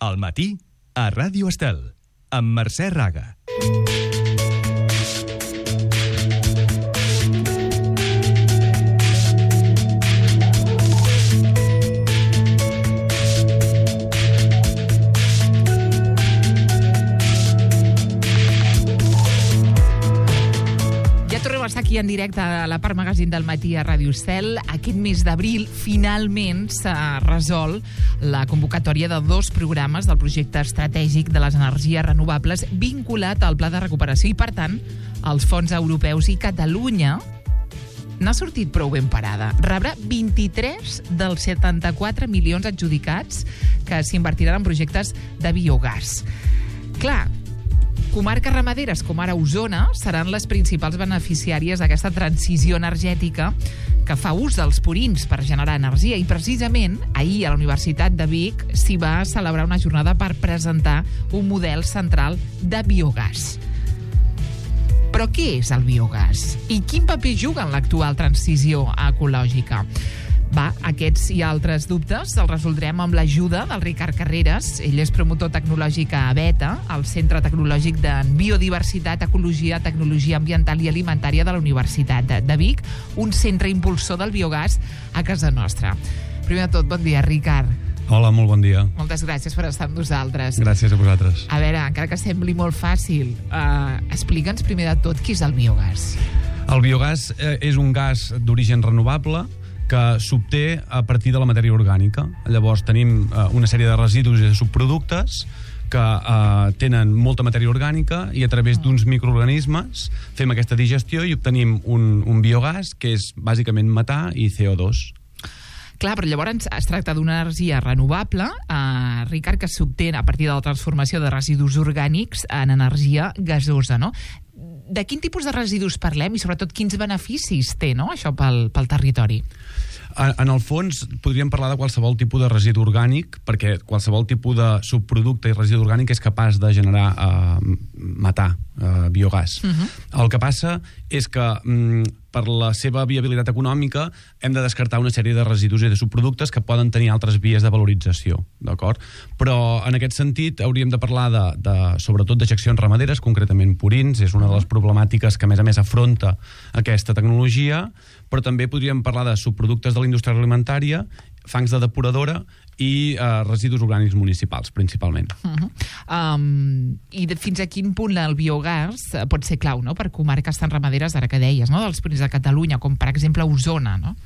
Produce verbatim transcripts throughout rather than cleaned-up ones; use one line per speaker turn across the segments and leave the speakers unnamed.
Al matí, a Ràdio Estel, amb Mercè Raga.
Aquí en directe a la part magazín del matí a Ràdio Estel. Aquest mes d'abril finalment s'ha resolt la convocatòria de dos programes del projecte estratègic de les energies renovables vinculat al Pla de Recuperació i, per tant, als fons europeus. I Catalunya n'ha sortit prou ben parada. Rebrà vint-i-tres dels setanta-quatre milions adjudicats que s'invertiran en projectes de biogàs. Clar, comarques ramaderes com ara Osona seran les principals beneficiàries d'aquesta transició energètica que fa ús dels purins per generar energia, i precisament ahir a la Universitat de Vic s'hi va celebrar una jornada per presentar un model central de biogàs. Però què és el biogàs? I quin paper juga en l'actual transició ecològica? Va, aquests i altres dubtes els resoldrem amb l'ajuda del Ricard Carreras. Ell és promotor tecnològic a Beta, el Centre Tecnològic de Biodiversitat, Ecologia, Tecnologia Ambiental i Alimentària de la Universitat de Vic, un centre impulsor del biogàs a casa nostra. Primer de tot, bon dia, Ricard.
Hola, molt bon dia.
Moltes gràcies per estar amb nosaltres.
Gràcies a vosaltres.
A veure, encara que sembli molt fàcil, eh, explica'ns primer de tot què és el biogàs.
El biogàs eh, és un gas d'origen renovable que s'obté a partir de la matèria orgànica. Llavors tenim eh, una sèrie de residus i de subproductes que eh, tenen molta matèria orgànica, i a través d'uns microorganismes fem aquesta digestió i obtenim un, un biogàs que és bàsicament metà i C O dos.
Clar, però llavors es tracta d'una energia renovable, eh, Ricard, que s'obté a partir de la transformació de residus orgànics en energia gasosa, no? De quin tipus de residus parlem i, sobretot, quins beneficis té, no, això pel, pel territori?
En el fons, podríem parlar de qualsevol tipus de residu orgànic, perquè qualsevol tipus de subproducte i residu orgànic és capaç de generar eh, metà, eh, biogàs. Uh-huh. El que passa és que mm, per la seva viabilitat econòmica hem de descartar una sèrie de residus i de subproductes que poden tenir altres vies de valorització, d'acord? Però en aquest sentit hauríem de parlar de, de sobretot dejeccions ramaderes, concretament purins, és una de les problemàtiques que a més a més afronta aquesta tecnologia, però també podríem parlar de subproductes de la indústria alimentària, fangs de depuradora i eh, residus orgànics municipals, principalment.
Uh-huh. um, I de, fins a quin punt el biogàs pot ser clau, no?, per comarques tan ramaderes, ara que deies, no?, dels purins de Catalunya, com per exemple Osona, no?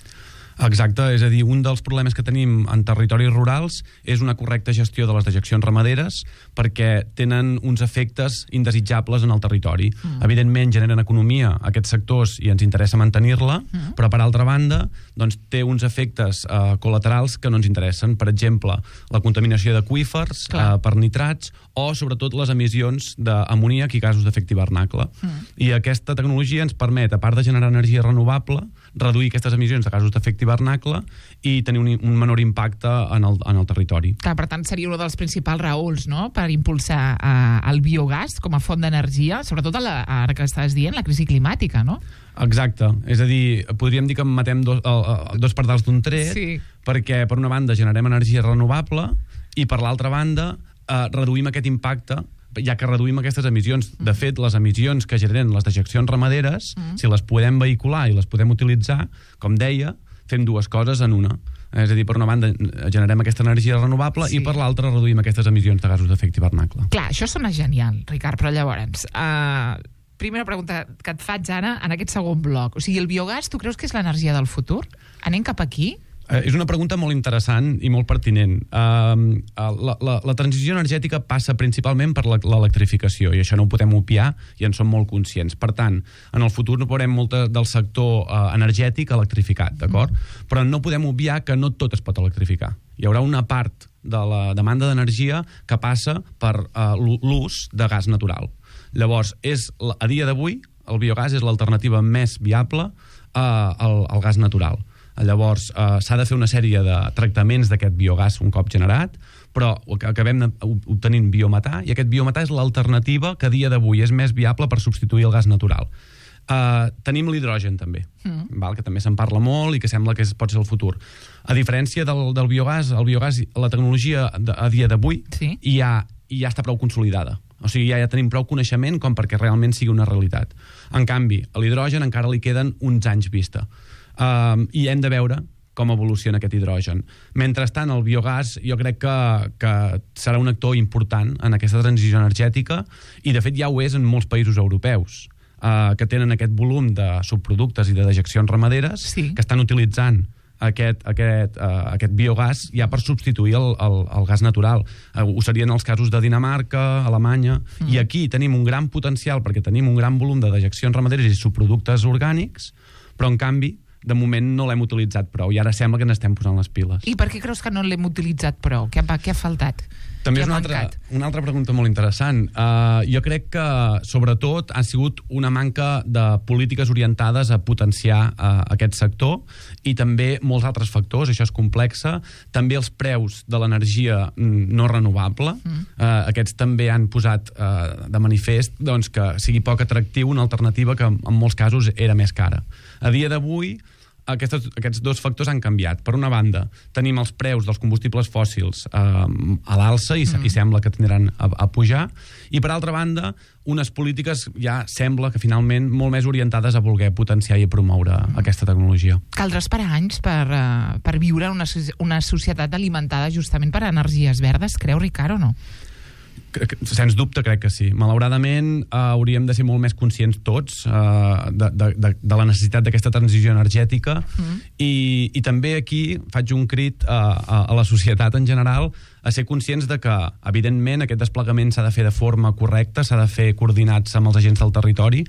Exacte, és a dir, un dels problemes que tenim en territoris rurals és una correcta gestió de les dejeccions ramaderes, perquè tenen uns efectes indesitjables en el territori. Mm. Evidentment generen economia a aquests sectors i ens interessa mantenir-la, mm. però per altra banda doncs, té uns efectes eh, col·laterals que no ens interessen. Per exemple, la contaminació d'aqüífers eh, per nitrats, o sobretot les emissions d'amoníac i gasos d'efecte hivernacle. Mm. I aquesta tecnologia ens permet, a part de generar energia renovable, reduir aquestes emissions de gasos d'efecte hivernacle i tenir un, un menor impacte en el, en el territori.
Clar, per tant, seria una dels principals raons, no?, per impulsar eh, el biogàs com a font d'energia, sobretot a la, ara que estàs dient, la crisi climàtica, no?
Exacte. És a dir, podríem dir que matem dos, uh, dos pardals d'un tret, sí. Perquè per una banda generem energia renovable i per l'altra banda uh, reduïm aquest impacte, ja que reduïm aquestes emissions. De fet, les emissions que generen les dejeccions ramaderes, mm. si les podem vehicular i les podem utilitzar, com deia, fem dues coses en una. És a dir, per una banda generem aquesta energia renovable, sí. I per l'altra reduïm aquestes emissions de gasos d'efecte hivernacle.
Clar, això sona genial, Ricard, però llavors, uh, primera pregunta que et faig ara en aquest segon bloc. O sigui, el biogàs, tu creus que és l'energia del futur? Anem cap aquí?
Eh, és una pregunta molt interessant i molt pertinent. Uh, la, la, la transició energètica passa principalment per l'electrificació, i això no ho podem obviar i en som molt conscients. Per tant, en el futur no veurem molt del sector uh, energètic electrificat, d'acord? Mm. Però no podem obviar que no tot es pot electrificar. Hi haurà una part de la demanda d'energia que passa per uh, l'ús de gas natural. Llavors, és, a dia d'avui, el biogàs és l'alternativa més viable uh, al, al gas natural. Llavors, eh, s'ha de fer una sèrie de tractaments d'aquest biogàs un cop generat, però acabem obtenint biometà, i aquest biometà és l'alternativa que a dia d'avui és més viable per substituir el gas natural. Uh, tenim l'hidrogen, també, mm. val? Que també se'n parla molt i que sembla que és, pot ser el futur. A diferència del, del biogàs, el biogàs, la tecnologia de, a dia d'avui
sí.
ja, ja està prou consolidada. O sigui, ja, ja tenim prou coneixement com perquè realment sigui una realitat. En canvi, a l'hidrogen encara li queden uns anys vista. Uh, I hem de veure com evoluciona aquest hidrogen. Mentrestant, el biogàs jo crec que, que serà un actor important en aquesta transició energètica i, de fet, ja ho és en molts països europeus, uh, que tenen aquest volum de subproductes i de dejeccions ramaderes
sí.
que estan utilitzant aquest, aquest, uh, aquest biogàs ja per substituir el, el, el gas natural. Uh, ho serien els casos de Dinamarca, Alemanya, mm. i aquí tenim un gran potencial perquè tenim un gran volum de dejeccions ramaderes i subproductes orgànics, però en canvi de moment no l'hem utilitzat prou i ara sembla que n'estem posant les piles.
I per què creus que no l'hem utilitzat prou? Què, què ha faltat?
També és una altra, una altra pregunta molt interessant. Uh, jo crec que, sobretot, ha sigut una manca de polítiques orientades a potenciar uh, aquest sector i també molts altres factors, això és complexa. També els preus de l'energia no renovable. Mm. Uh, aquests també han posat uh, de manifest doncs, que sigui poc atractiu una alternativa que en molts casos era més cara. A dia d'avui, Aquests, aquests dos factors han canviat. Per una banda, tenim els preus dels combustibles fòssils eh, a l'alça i, mm. i sembla que tindran a, a pujar, i per altra banda, unes polítiques ja sembla que finalment molt més orientades a voler potenciar i a promoure mm. aquesta tecnologia.
Caldrà esperar anys per, uh, per viure una, una societat alimentada justament per energies verdes, creu, Ricard, o no?
Sens dubte crec que sí. Malauradament eh, hauríem de ser molt més conscients tots eh, de, de, de, de la necessitat d'aquesta transició energètica mm. i, i també aquí faig un crit a, a, a la societat en general a ser conscients de que, evidentment, aquest desplegament s'ha de fer de forma correcta, s'ha de fer coordinats amb els agents del territori,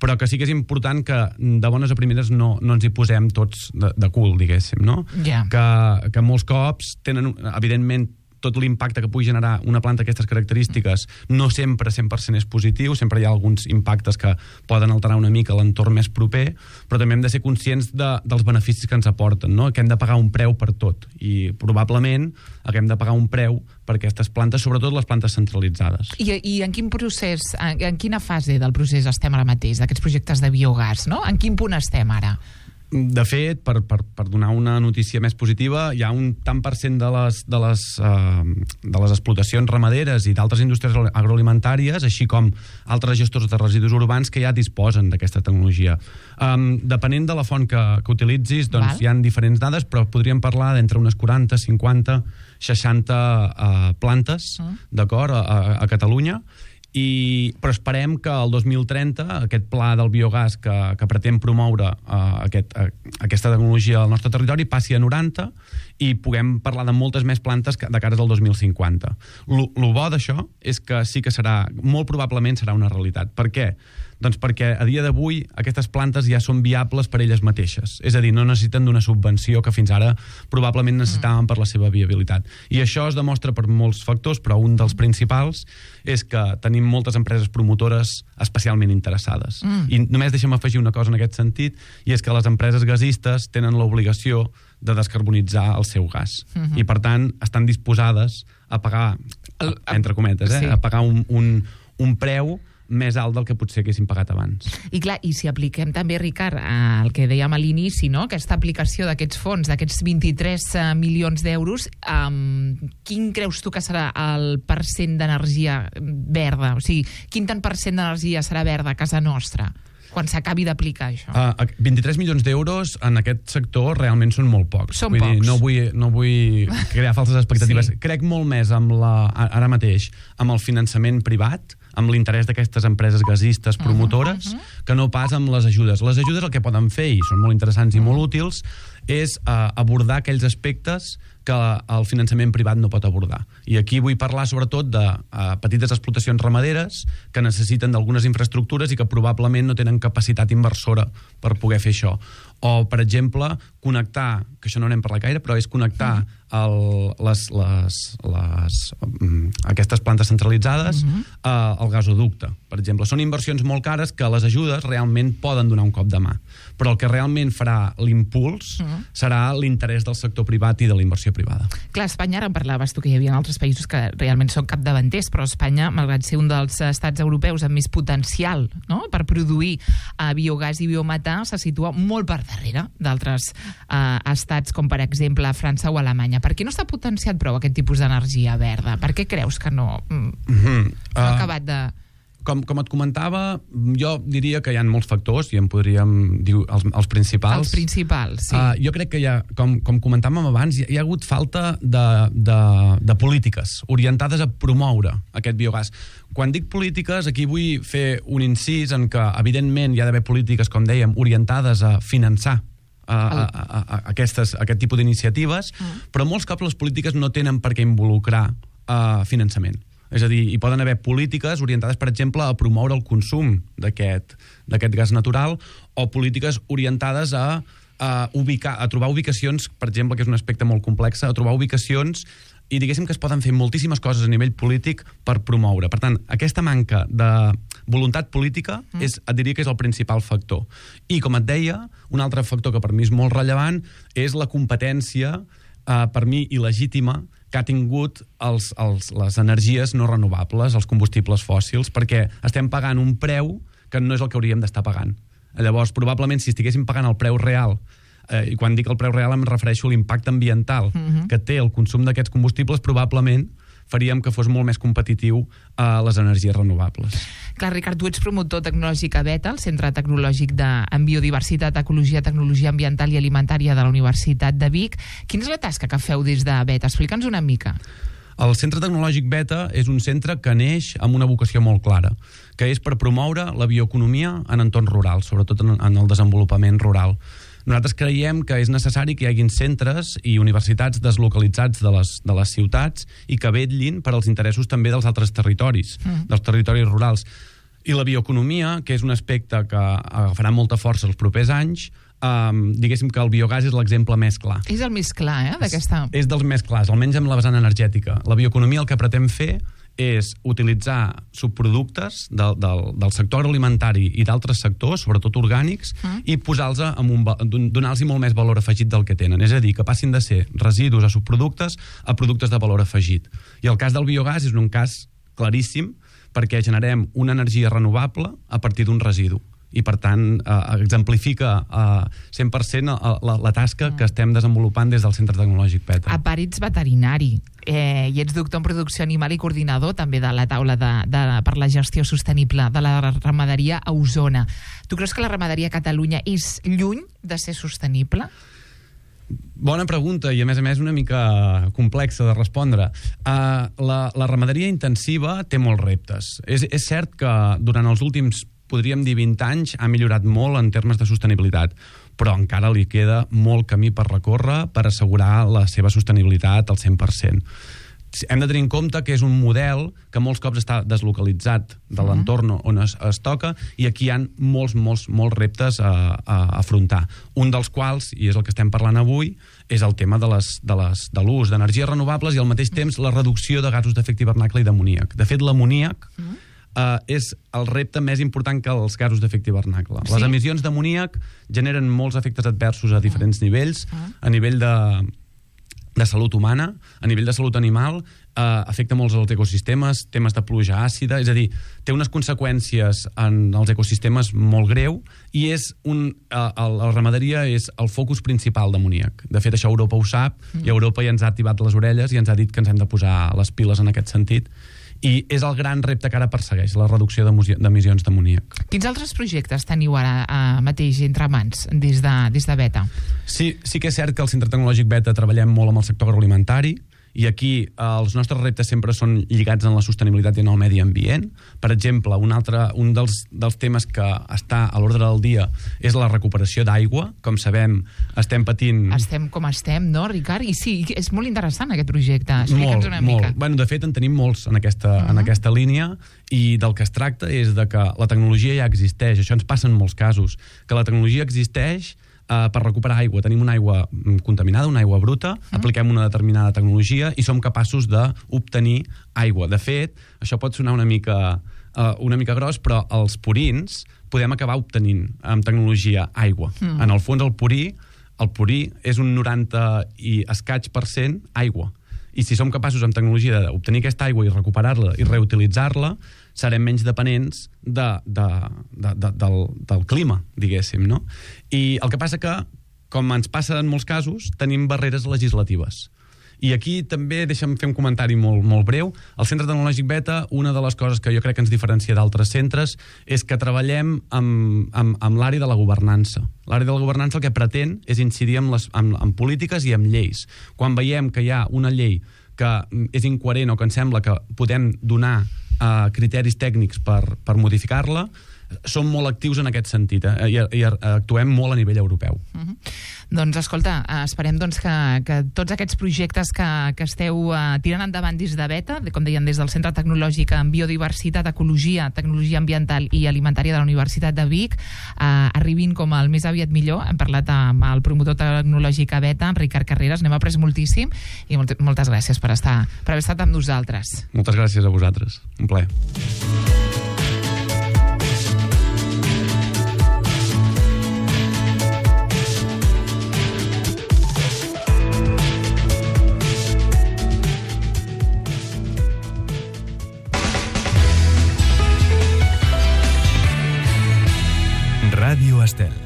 però que sí que és important que de bones a primeres no, no ens hi posem tots de, de cul, diguéssim, no?
Yeah.
Que, que molts cops tenen, evidentment, tot l'impacte que pugui generar una planta d'aquestes característiques no sempre cent per cent és positiu, sempre hi ha alguns impactes que poden alterar una mica l'entorn més proper, però també hem de ser conscients de, dels beneficis que ens aporten, no? Que hem de pagar un preu per tot, i probablement haguem de pagar un preu per aquestes plantes, sobretot les plantes centralitzades.
I, i en quin procés, en, en quina fase del procés estem ara mateix, d'aquests projectes de biogàs, no? En quin punt estem ara?
De fet, per, per, per donar una notícia més positiva, hi ha un tant per cent de les, de les, uh, de les explotacions ramaderes i d'altres indústries agroalimentàries, així com altres gestors de residus urbans que ja disposen d'aquesta tecnologia. Um, depenent de la font que, que utilitzis, doncs Val. Hi ha diferents dades, però podríem parlar d'entre unes quaranta, cinquanta, seixanta uh, plantes, uh. d'acord, a, a Catalunya. I, però esperem que el dos mil trenta aquest pla del biogàs que, que pretén promoure uh, aquest, uh, aquesta tecnologia al nostre territori passi a noranta i puguem parlar de moltes més plantes de cara al dos mil cinquanta. Lo, lo bo d'això és que sí que serà, molt probablement serà una realitat. Per què? Doncs perquè a dia d'avui aquestes plantes ja són viables per elles mateixes. És a dir, no necessiten d'una subvenció que fins ara probablement necessitaven per la seva viabilitat. I això es demostra per molts factors, però un dels principals és que tenim moltes empreses promotores especialment interessades. Mm. I només deixa'm afegir una cosa en aquest sentit, i és que les empreses gasistes tenen l'obligació de descarbonitzar el seu gas. Mm-hmm. I, per tant, estan disposades a pagar, el, entre cometes, eh, sí. a pagar un, un, un preu més alt del que potser haguéssim pagat abans.
I clar, i si apliquem també, Ricard, el que dèiem a l'inici, no? Aquesta aplicació d'aquests fons, d'aquests vint-i-tres milions d'euros, um, quin creus tu que serà el percent d'energia verda? O sigui, quin tant per cent d'energia serà verda a casa nostra quan s'acabi d'aplicar això?
Uh, vint-i-tres milions d'euros en aquest sector realment són molt pocs.
Són
vull
pocs.
Dir, no, vull, no vull crear falses expectatives. Sí. Crec molt més amb la, ara mateix amb el finançament privat, amb l'interès d'aquestes empreses gasistes promotores, uh -huh, uh -huh. que no pas amb les ajudes. Les ajudes el que poden fer, i són molt interessants i molt útils, és uh, abordar aquells aspectes que el finançament privat no pot abordar. I aquí vull parlar sobretot de uh, petites explotacions ramaderes que necessiten d'algunes infraestructures i que probablement no tenen capacitat inversora per poder fer això. O, per exemple, connectar, que això no n'hem parlat gaire, però és connectar el, les, les, les, um, aquestes plantes centralitzades uh -huh. uh, al gasoducte, per exemple. Són inversions molt cares que les ajudes realment poden donar un cop de mà. Però el que realment farà l'impuls uh -huh. serà l'interès del sector privat i de la inversió privada.
Clar, Espanya, ara en parlaves tu, que hi havia altres països que realment són capdavanters, però Espanya, malgrat ser un dels estats europeus amb més potencial, no?, per produir uh, biogàs i biometà, se situa molt per darrere d'altres uh, estats com, per exemple, França o Alemanya. Per què no s'ha potenciat prou aquest tipus d'energia verda? Per què creus que no, mm,
mm-hmm.
no ha
uh,
acabat de...
Com, com et comentava, jo diria que hi ha molts factors, i en podríem dir els, els principals.
Els principals, sí.
Uh, jo crec que hi ha, com, com comentàvem abans, hi ha, hi ha hagut falta de, de, de polítiques orientades a promoure aquest biogàs. Quan dic polítiques, aquí vull fer un incís en que, evidentment, hi ha d'haver polítiques, com dèiem, orientades a finançar A, a, a, a, aquestes, a aquest tipus d'iniciatives, mm. però molts cops les polítiques no tenen per què involucrar uh, finançament. És a dir, hi poden haver polítiques orientades, per exemple, a promoure el consum d'aquest d'aquest gas natural, o polítiques orientades a, a, ubicar, a trobar ubicacions, per exemple, que és un aspecte molt complex, a trobar ubicacions i diguéssim que es poden fer moltíssimes coses a nivell polític per promoure. Per tant, aquesta manca de voluntat política mm. és, et diria que és el principal factor. I, com et deia, un altre factor que per mi és molt rellevant és la competència, eh, per mi il·legítima, que ha tingut els, els, les energies no renovables, els combustibles fòssils, perquè estem pagant un preu que no és el que hauríem d'estar pagant. Llavors, probablement, si estiguéssim pagant el preu real, eh, i quan dic el preu real em refereixo a l'impacte ambiental mm-hmm. que té el consum d'aquests combustibles, probablement faríem que fos molt més competitiu a les energies renovables.
Clar, Ricard, tu ets promotor tecnològic a Beta, el Centre Tecnològic de, en Biodiversitat, Ecologia, Tecnologia Ambiental i Alimentària de la Universitat de Vic. Quina és la tasca que feu des de Beta? Explica'ns una mica.
El Centre Tecnològic Beta és un centre que neix amb una vocació molt clara, que és per promoure la bioeconomia en entorns rurals, sobretot en, en el desenvolupament rural. Nosaltres creiem que és necessari que hi haguin centres i universitats deslocalitzats de les, de les ciutats i que vetllin per als interessos també dels altres territoris, mm. dels territoris rurals. I la bioeconomia, que és un aspecte que agafarà molta força els propers anys, um, diguéssim que el biogàs és l'exemple més clar.
És el més clar, eh, d'aquesta...
És, és dels més clars, almenys amb la vessant energètica. La bioeconomia el que pretén fer és utilitzar subproductes del, del, del sector agroalimentari i d'altres sectors, sobretot orgànics, mm. i posar-los amb un, donar-los molt més valor afegit del que tenen. És a dir, que passin de ser residus a subproductes a productes de valor afegit. I el cas del biogàs és un cas claríssim perquè generem una energia renovable a partir d'un residu. I, per tant, eh, exemplifica eh, cent per cent la, la, la tasca mm. que estem desenvolupant des del Centre Tecnològic Beta.
A part, ets veterinari eh, i ets doctor en producció animal i coordinador també de la taula de, de, per la gestió sostenible de la ramaderia a Osona. Tu creus que la ramaderia a Catalunya és lluny de ser sostenible?
Bona pregunta i, a més a més, una mica complexa de respondre. Uh, la, la ramaderia intensiva té molts reptes. És, és cert que durant els últims, podríem dir, vint anys ha millorat molt en termes de sostenibilitat, però encara li queda molt camí per recórrer per assegurar la seva sostenibilitat al cent per cent. Hem de tenir en compte que és un model que molts cops està deslocalitzat de l'entorn on es, es toca, i aquí hi ha molts, molts, molts reptes a, a afrontar. Un dels quals, i és el que estem parlant avui, és el tema de les, de les, de l'ús d'energies renovables i al mateix temps la reducció de gasos d'efecte hivernacle i d'amoníac. De fet, l'amoníac mm. Uh, és el repte més important que els gasos d'efecte hivernacle. Sí? Les emissions d'amoníac generen molts efectes adversos a diferents uh. nivells, uh. a nivell de, de salut humana, a nivell de salut animal, uh, afecta molts els ecosistemes, temes de pluja àcida, és a dir, té unes conseqüències en els ecosistemes molt greu, i és un, uh, el, la ramaderia és el focus principal d'amoníac. De fet, això Europa ho sap, uh. i Europa ja ens ha activat les orelles i ens ha dit que ens hem de posar les piles en aquest sentit. I és el gran repte que ara persegueix, la reducció d'emissions d'amoníac.
Quins altres projectes teniu ara uh, mateix entre mans des de, des de Beta?
Sí, sí que és cert que al Centre Tecnològic Beta treballem molt amb el sector agroalimentari, i aquí eh, els nostres reptes sempre són lligats en la sostenibilitat i en el medi ambient. Per exemple, un altre un dels, dels temes que està a l'ordre del dia és la recuperació d'aigua. Com sabem, estem patint...
Estem com estem, no, Ricard? I sí, és molt interessant aquest projecte. Explica'ns una
molt.
mica.
Bueno, de fet, en tenim molts en aquesta, uh-huh. en aquesta línia, i del que es tracta és de que la tecnologia ja existeix. Això ens passa en molts casos, que la tecnologia existeix, uh, per recuperar aigua. Tenim una aigua contaminada, una aigua bruta, mm. apliquem una determinada tecnologia i som capaços d'obtenir aigua. De fet, això pot sonar una mica, uh, una mica gros, però els purins podem acabar obtenint amb tecnologia aigua. Mm. En el fons, el purí, el purí és un noranta i escaig per cent aigua. I si som capaços amb tecnologia d'obtenir aquesta aigua i recuperar-la i reutilitzar-la, serem menys dependents de, de, de, de, del, del clima, diguéssim, no? I el que passa que, com ens passa en molts casos, tenim barreres legislatives. I aquí també, deixa'm fer un comentari molt, molt breu, al Centre Tecnològic Beta, una de les coses que jo crec que ens diferencia d'altres centres és que treballem amb, amb, amb l'àrea de la governança. L'àrea de la governança el que pretén és incidir en, les, en, en polítiques i en lleis. Quan veiem que hi ha una llei que és incoherent o que ens sembla que podem donar uh, criteris tècnics per, per modificar-la, som molt actius en aquest sentit, eh? I, i actuem molt a nivell europeu.
Uh-huh. Doncs escolta, esperem doncs, que, que tots aquests projectes que, que esteu uh, tirant endavant des de Beta, com deien, des del Centre Tecnològic en Biodiversitat, Ecologia, Tecnologia Ambiental i Alimentària de la Universitat de Vic, uh, arribin com el més aviat millor. Hem parlat amb el promotor tecnològic a Beta, en Ricard Carreras, n'hem après moltíssim i molt, moltes gràcies per, estar, per haver estat amb nosaltres.
Moltes gràcies a vosaltres. Un plaer.
Ràdio Estel.